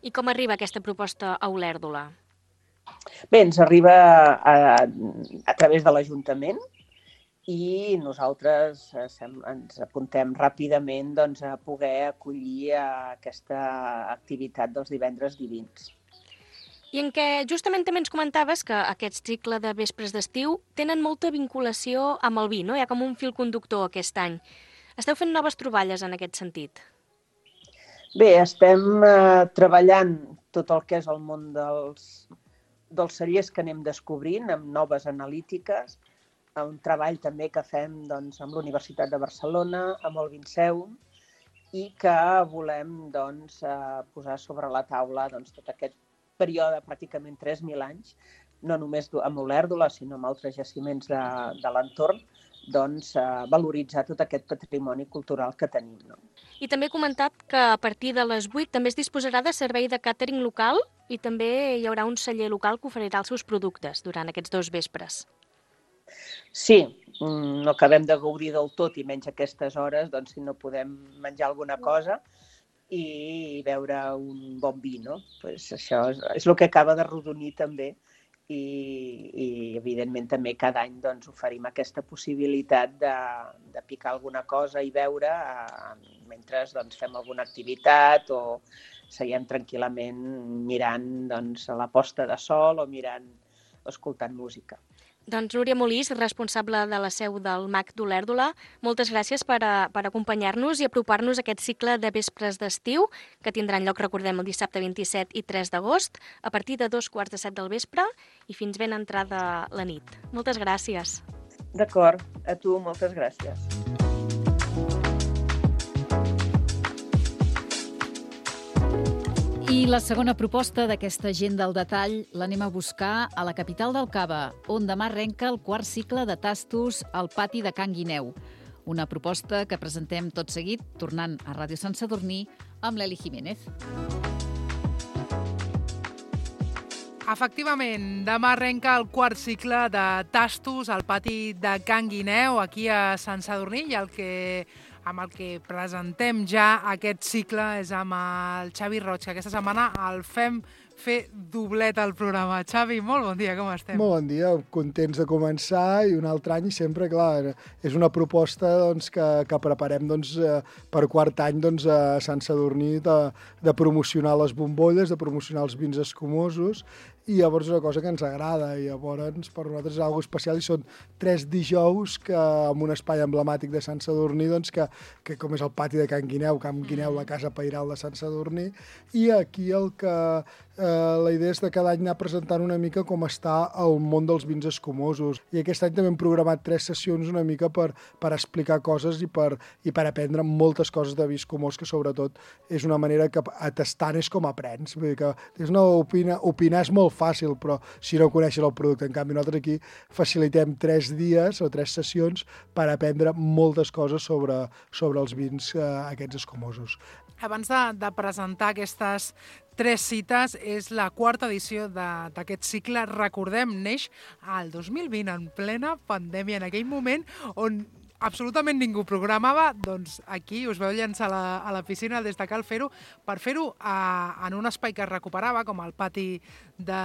I com arriba aquesta proposta a Olèrdola?
Bé, ens arriba a, a través de l'Ajuntament i nosaltres ens apuntem ràpidament doncs, a poder acollir aquesta activitat dels divendres divins.
I en què justament també ens comentaves que aquest cicle de vespres d'estiu tenen molta vinculació amb el vi, no? Hi ha com un fil conductor aquest any. Esteu fent noves troballes en aquest sentit?
Bé, estem eh, treballant tot el que és el món dels, dels cellers que anem descobrint amb noves analítiques, un treball també que fem doncs, amb la Universitat de Barcelona, amb el Vinceum, i que volem doncs, eh, posar sobre la taula doncs, tot aquest període, pràcticament tres mil anys, no només amb Olèrdola, sinó amb altres jaciments de, de l'entorn, doncs, eh, valoritzar tot aquest patrimoni cultural que tenim. No?
I també he comentat que a partir de les vuit també es disposarà de servei de càtering local i també hi haurà un celler local que oferirà els seus productes durant aquests dos vespres.
Sí, no acabem de gaudir del tot i menys aquestes hores, doncs si no podem menjar alguna cosa i beure un bon vi, no? Pues això és, és el que acaba de rodonir també i, i evidentment també cada any doncs, oferim aquesta possibilitat de, de picar alguna cosa i beure eh, mentre doncs, fem alguna activitat o seiem tranquil·lament mirant doncs, la posta de sol o mirant o escoltant música.
Doncs Núria Molís, responsable de la seu del M A C d'Olèrdola, moltes gràcies per, a, per acompanyar-nos i apropar-nos a aquest cicle de vespres d'estiu que tindran lloc, recordem, el dissabte vint-i-set i tres d'agost, a partir de dos quarts de set del vespre i fins ben entrada la nit. Moltes gràcies.
D'acord, a tu moltes gràcies.
I la segona proposta d'aquesta agenda al detall l'anem a buscar a la capital del Cava, on demà arrenca el quart cicle de tastos al pati de Can Guineu. Una proposta que presentem tot seguit, tornant a Ràdio Sant Sadurní, amb l'Eli Jiménez.
Efectivament, demà arrenca el quart cicle de tastos al pati de Can Guineu, aquí a Sant Sadurní, i el que... amb el que presentem ja aquest cicle és amb el Xavi Roig, que aquesta setmana el fem fer doblet al programa. Xavi, molt bon dia, com estem?
Molt bon dia, contents de començar i un altre any sempre, clar, és una proposta doncs, que, que preparem doncs, per quart any doncs, a Sant Sadurní de, de promocionar les bombolles, de promocionar els vins escumosos, i llavors és una cosa que ens agrada i llavors per nosaltres és una cosa especial i són tres dijous que amb un espai emblemàtic de Sant Sadurní doncs, que, que com és el pati de Can Guineu, Can Guineu, la casa pairal de Sant Sadurní, i aquí el que eh, la idea és de cada any anar presentant una mica com està el món dels vins escumosos, i aquest any també hem programat tres sessions una mica per, per explicar coses i per, i per aprendre moltes coses de vi escumós, que sobretot és una manera que tastant és com aprens, vull dir que és una opina, opinar és molt fàcil, però si no coneixes el producte. En canvi, nosaltres aquí facilitem tres dies o tres sessions per aprendre moltes coses sobre, sobre els vins eh, aquests escumosos.
Abans de, de presentar aquestes tres cites, és la quarta edició d'aquest cicle. Recordem, neix al dos mil vint, en plena pandèmia, en aquell moment on absolutament ningú programava, doncs aquí us veu llançar a la, a la piscina des de cal fer-ho, per fer-ho en un espai que es recuperava, com el pati de,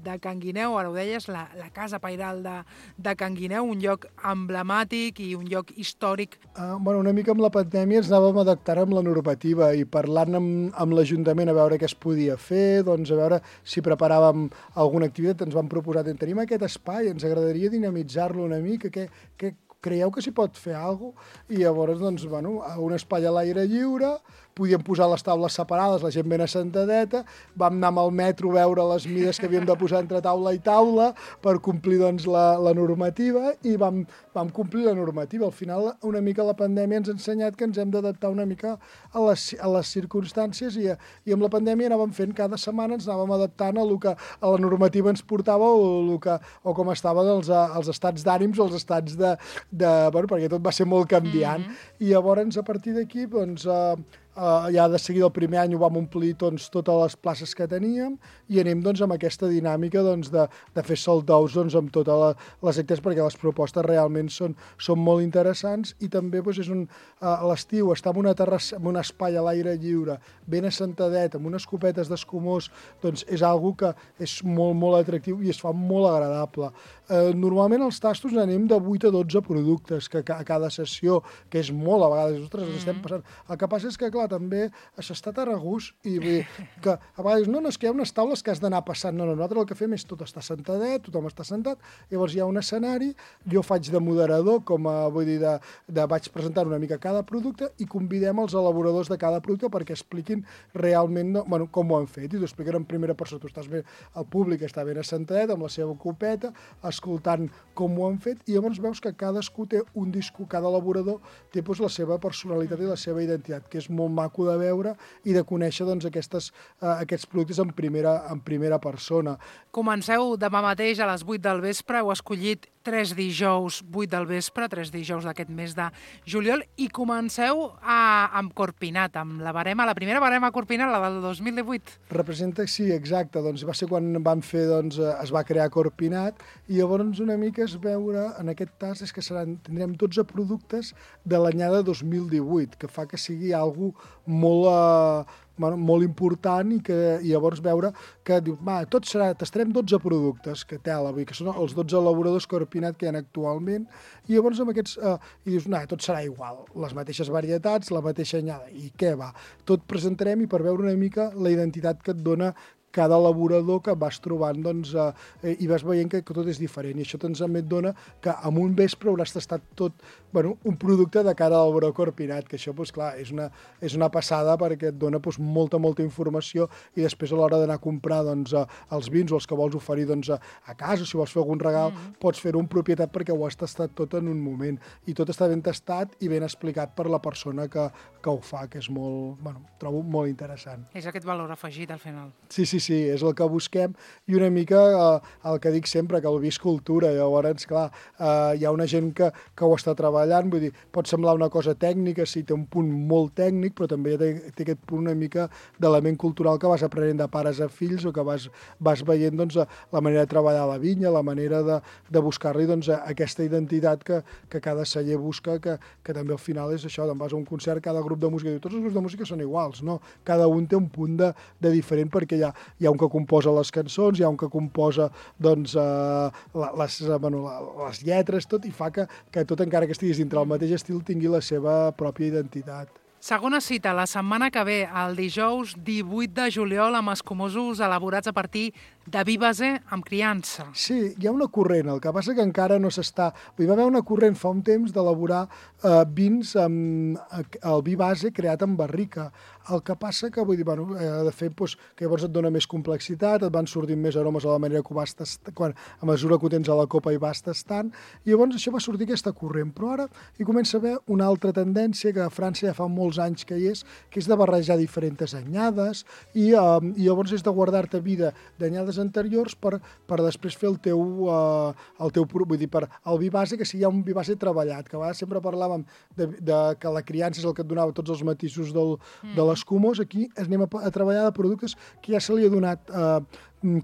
de Can Guineu, ara ho deies, la, la casa pairal de, de Can Guineu, un lloc emblemàtic i un lloc històric.
Uh, bueno, una mica amb la pandèmia ens anàvem adaptant amb la normativa i parlant amb, amb l'Ajuntament a veure què es podia fer, doncs a veure si preparàvem alguna activitat, ens vam proposar, tenim aquest espai, ens agradaria dinamitzar-lo una mica, què, què creieu que s'hi pot fer alguna cosa? I llavors, doncs, bueno, un espai a l'aire lliure, podíem posar les taules separades, la gent ben assentadeta, vam anar amb el metro a veure les mides que havíem de posar entre taula i taula per complir doncs, la, la normativa i vam, vam complir la normativa. Al final, una mica la pandèmia ens ha ensenyat que ens hem d'adaptar una mica a les, a les circumstàncies i, i amb la pandèmia anàvem fent cada setmana, ens anàvem adaptant a, lo que, a la normativa ens portava o, lo que, o com estaven els, els estats d'ànims o els estats de... de bueno, perquè tot va ser molt canviant. Mm-hmm. I llavors, a partir d'aquí, doncs... Eh, Uh, ja de seguida el primer any ho vam omplir doncs, totes les places que teníem i anem doncs, amb aquesta dinàmica doncs, de, de fer sold outs doncs, amb totes la, les actes perquè les propostes realment són, són molt interessants i també doncs, és un, uh, a l'estiu estar en una terrassa, en un espai a l'aire lliure, ben assentadet, amb unes copetes d'escumós, doncs és algo que és molt, molt atractiu i es fa molt agradable. Uh, normalment els tastos anem de vuit a dotze productes que, que, a cada sessió, que és molt a vegades, ostres, ens estem passant. El que passa és que, clar, també s'està tan a gust i vull dir, que a vegades no, no, és que hi ha unes taules que has d'anar passant, no, no, nosaltres el que fem és tot està sentadet, tothom està sentat, llavors hi ha un escenari, jo faig de moderador, com a, vull dir, de, de, vaig presentar una mica cada producte i convidem els elaboradors de cada producte perquè expliquin realment no, bueno, com ho han fet i t'ho expliquen en primera persona, tu estàs bé, el públic està ben assentadet amb la seva copeta, escoltant com ho han fet i llavors veus que cadascú té un disco, cada elaborador té doncs, la seva personalitat i la seva identitat, que és molt maco de veure i de conèixer doncs, aquestes, uh, aquests productes en primera, en primera persona.
Comenceu demà mateix a les vuit del vespre, heu escollit tres dijous, vuit del vespre, tres dijous d'aquest mes de juliol, i comenceu a, amb Corpinat, amb la barema, la primera barema Corpinat, la del dos mil divuit.
Representa, sí, exacte, doncs va ser quan vam fer, doncs, es va crear Corpinat, i llavors una mica es veure, en aquest tas, és que seran, tindrem dotze productes de l'anyada dos mil divuit, que fa que sigui algo molt... Eh, bueno, molt important i que i llavors veure que diu, va, tot serà, tastarem dotze productes, que tela, vull dir, que són els dotze elaboradors Corpinat que hi ha actualment, i llavors amb aquests, eh, i dius, no, tot serà igual, les mateixes varietats, la mateixa anyada, i què va? Tot presentarem i per veure una mica la identitat que et dona cada elaborador que vas trobant, doncs, eh, i vas veient que, que tot és diferent. I això també et dona que en un vespre hauràs tastat tot, bueno, un producte de cada elaborador Corpinat, que això, doncs, clar, és una, és una passada perquè et dona doncs, molta, molta informació i després a l'hora d'anar a comprar doncs, els vins o els que vols oferir doncs, a casa, si vols fer algun regal, mm-hmm. pots fer-ho en propietat perquè ho has tastat tot en un moment. I tot està ben tastat i ben explicat per la persona que, que ho fa, que és molt, bueno, trobo molt interessant.
És aquest valor afegit al final.
Sí, sí, sí, és el que busquem i una mica eh, el que dic sempre, que el vi és cultura. Llavors, clar, eh, hi ha una gent que, que ho està treballant, vull dir, pot semblar una cosa tècnica, sí, té un punt molt tècnic, però també té, té aquest punt una mica d'element cultural que vas aprenent de pares a fills o que vas, vas veient doncs, la manera de treballar la vinya, la manera de, de buscar-li doncs, aquesta identitat que, que cada celler busca, que, que també al final és això, doncs vas a un concert, cada grup de música diu, tots els grups de música són iguals, no? Cada un té un punt de, de diferent perquè hi ha, hi ha un que composa les cançons, hi ha un que composa doncs, eh, les, bueno, les lletres, tot, i fa que, que tot, encara que estiguis dintre del mateix estil, tingui la seva pròpia identitat.
Segona cita, la setmana que ve, el dijous divuit de juliol, amb escumosos elaborats a partir de vi base amb criança.
Sí, hi ha una corrent, el que passa que encara no s'està... Hi va haver una corrent fa un temps d'elaborar eh, vins amb el vi base creat en barrica. El que passa que, vull dir, bueno, eh, de fet, doncs, que llavors et dona més complexitat, et van sortint més aromes a la manera que ho vas tastar, quan, a mesura que ho tens a la copa i vas tastant, i llavors això va sortir aquesta corrent. Però ara hi comença a haver una altra tendència que a França ja fa molts anys que hi és, que és de barrejar diferents anyades i, eh, i llavors és de guardar-te vida d'anyades anteriors per, per després fer el teu, eh, el teu, vull dir, per el vi base, que sigui ja un vi base treballat, que a vegades sempre parlàvem de, de que la criança és el que et donava tots els matisos del, mm. de l'escumós. Aquí anem a, a treballar de productes que ja se li ha donat eh,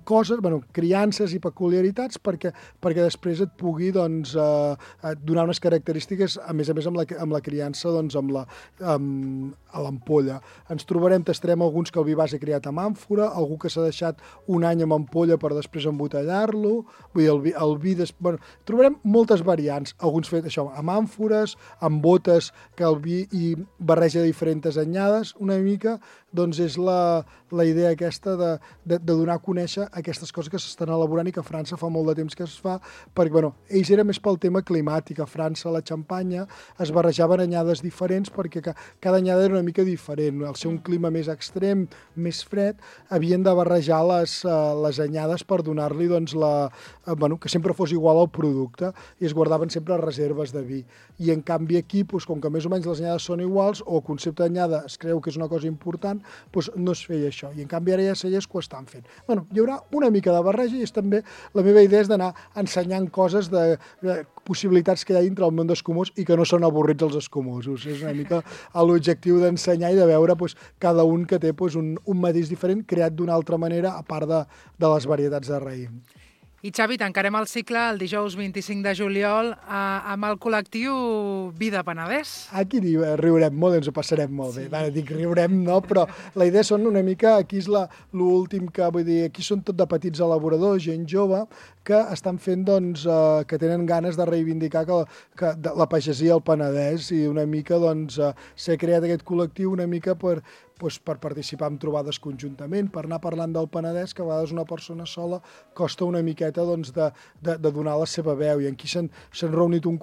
coses, bueno, criances i peculiaritats perquè, perquè després et pugui doncs, eh, donar unes característiques, a més a més amb la, amb la criança, doncs, amb la, amb, a l'ampolla. Ens trobarem, tastarem alguns que el vi base creat amb àmfora, algú que s'ha deixat un any amb ampolla per després embotellar-lo, vull dir, el vi, el vi des... bueno, trobarem moltes variants, alguns fet això, amb àmfores, amb botes, que el vi i barreja diferents anyades, una mica, doncs és la, la idea aquesta de, de, de donar a conèixer aquestes coses que s'estan elaborant i que a França fa molt de temps que es fa, perquè, bueno, ells eren més pel tema climàtic. A França, la Xampanya, es barrejaven anyades diferents perquè cada anyada era una mica diferent. Al ser un clima més extrem, més fred, havien de barrejar les, les anyades per donar-li, doncs, la, bueno, que sempre fos igual al producte, i es guardaven sempre reserves de vi. I, en canvi, aquí, doncs, com que més o menys les anyades són iguals, o el concepte d'anyada es creu que és una cosa important, doncs no es feia això. I, en canvi, ara ja cellers que ho estan fent. Bueno, hi haurà una mica de barreja i és també la meva idea és d'anar ensenyant coses de, de possibilitats que hi ha dintre el món d'escumós i que no són avorrits els escumosos. És una mica l'objectiu d'ensenyar i de veure doncs, cada un que té doncs, un, un matís diferent creat d'una altra manera a part de, de les varietats de raïm.
I Xavi, tancarem el cicle el dijous vint-i-cinc de juliol eh, amb el col·lectiu Vida Penedès.
Aquí riurem molt, ens ho passarem molt bé. Sí. Ara dic riurem, no, però la idea són una mica, aquí és l'últim que, vull dir, aquí són tot de petits elaboradors, gent jove, que estan fent, doncs, eh, que tenen ganes de reivindicar que, que de, la pagesia al Penedès i una mica, doncs, eh, s'ha creat aquest col·lectiu una mica per, doncs, per participar en trobades conjuntament, per anar parlant del Penedès, que a vegades una persona sola costa una miqueta doncs, de, de, de donar la seva veu. I aquí s'han reunit un,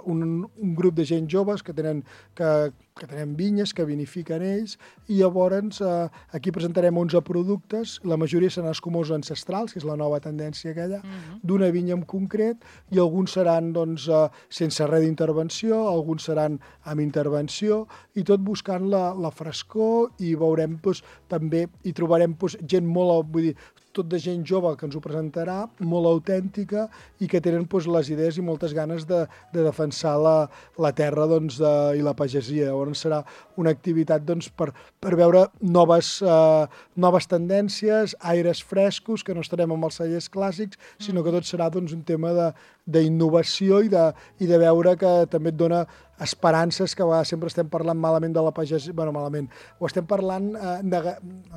un, un grup de gent joves que tenen que que tenen vinyes, que vinifiquen ells, i llavors eh, aquí presentarem onze productes, la majoria seran escumosos ancestrals, que és la nova tendència aquella, uh-huh. d'una vinya en concret, i alguns seran doncs, eh, sense res d'intervenció, alguns seran amb intervenció, i tot buscant la, la frescor, i veurem doncs, també, i trobarem doncs, gent molt, vull dir, tot de gent jove que ens ho presentarà, molt autèntica i que tenen doncs, les idees i moltes ganes de, de defensar la, la terra doncs, de, i la pagesia. Llavors serà una activitat doncs, per, per veure noves, eh, noves tendències, aires frescos, que no estarem amb els cellers clàssics, sinó que tot serà doncs, un tema d'innovació i, de, i de veure que també et dona esperances, que a vegades sempre estem parlant malament de la pagesia, bueno, malament, ho estem parlant eh, neg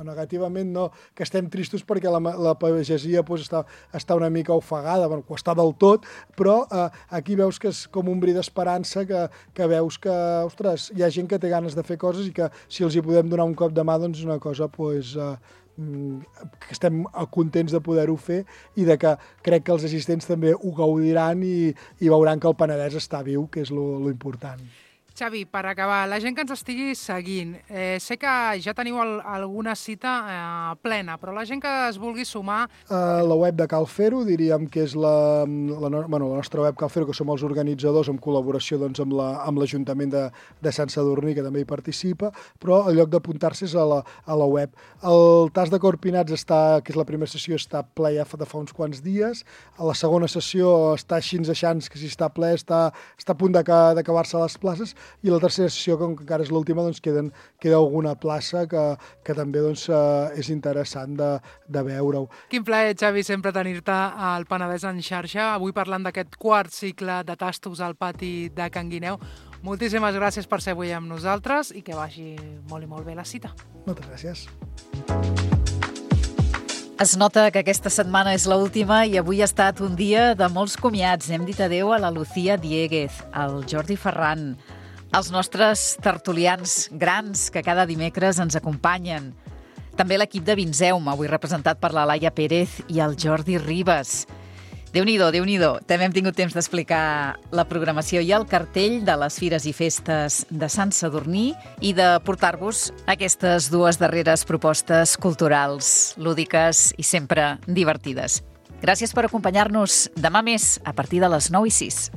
negativament, no, que estem tristos perquè la, la pagesia pues, està, està una mica ofegada, bueno, ho està del tot, però eh, aquí veus que és com un bri d'esperança, que, que veus que, ostres, hi ha gent que té ganes de fer coses i que si els hi podem donar un cop de mà, doncs és una cosa, pues, eh, que estem contents de poder-ho fer i de que crec que els assistents també ho gaudiran i, i veuran que el Penedès està viu, que és lo, lo important.
Xavi, per acabar, la gent que ens estigui seguint, eh, sé que ja teniu el, alguna cita eh, plena, però la gent que es vulgui sumar...
Uh, la web de Cal Fer-ho, diríem que és la, la, no, bueno, la nostra web Cal Fer-ho, que som els organitzadors en col·laboració doncs, amb l'Ajuntament la, de, de Sant Sadurní, que també hi participa, però el lloc d'apuntar-se és a la, a la web. El Tas de Corpinats, està, que és la primera sessió, està ple ja de fa uns quants dies. A la segona sessió està així aixans, que si està ple està, està a punt d'acabar-se les places. I la tercera sessió, com que encara és l'última, doncs queden, queda alguna plaça que, que també doncs, eh, és interessant de, de veure-ho.
Quin plaer, Xavi, sempre tenir-te al Penedès en xarxa. Avui parlant d'aquest quart cicle de tastos al pati de Can Guineu. Moltíssimes gràcies per ser avui amb nosaltres i que vagi molt i molt bé la cita.
Moltes gràcies.
Es nota que aquesta setmana és l'última i avui ha estat un dia de molts comiats. Hem dit adeu a la Lucía Diéguez, al Jordi Ferran, als nostres tertulians grans que cada dimecres ens acompanyen. També l'equip de Vinzeum, avui representat per la Laia Pérez i el Jordi Ribas. Déu-n'hi-do, Déu-n'hi-do. També hem tingut temps d'explicar la programació i el cartell de les fires i festes de Sant Sadurní i de portar-vos aquestes dues darreres propostes culturals, lúdiques i sempre divertides. Gràcies per acompanyar-nos. Demà més, a partir de les nou i sis.